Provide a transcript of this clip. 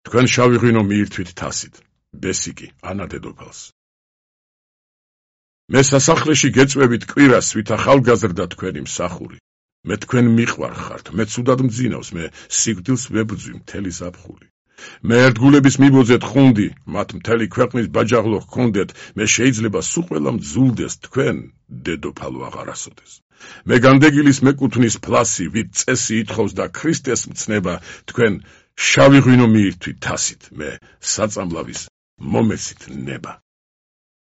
თქვენ შავი ღვინო მიირთვით თასით, ბესიკი, ანა დედოფალს. მე სასახლეში გეწვევით კვირას, ვით ახალგაზრდა თქვენი მსახური. მე თქვენ მიყვარხართ, მე ცუდად მძინავს, მე სიკვდილს ვებრძვი მთელი ზაფხული. მე ერთგულების მიბოძეთ ხუნდი, მათ მთელი ქვეყნის ბაჯაღლო ჰქონდეთ, მე შეიძლება სულ ყველა მძულდეს, თქვენ დედოფალო აღარასოდეს. მე განდეგილის მეკუთვნის ფლასი, ვით წესი ითხოვს და ქრისტეს მცნება, თქვენ შავი ღვინო მიირთვით თასით, მე საწამლავის მომეცით ნება.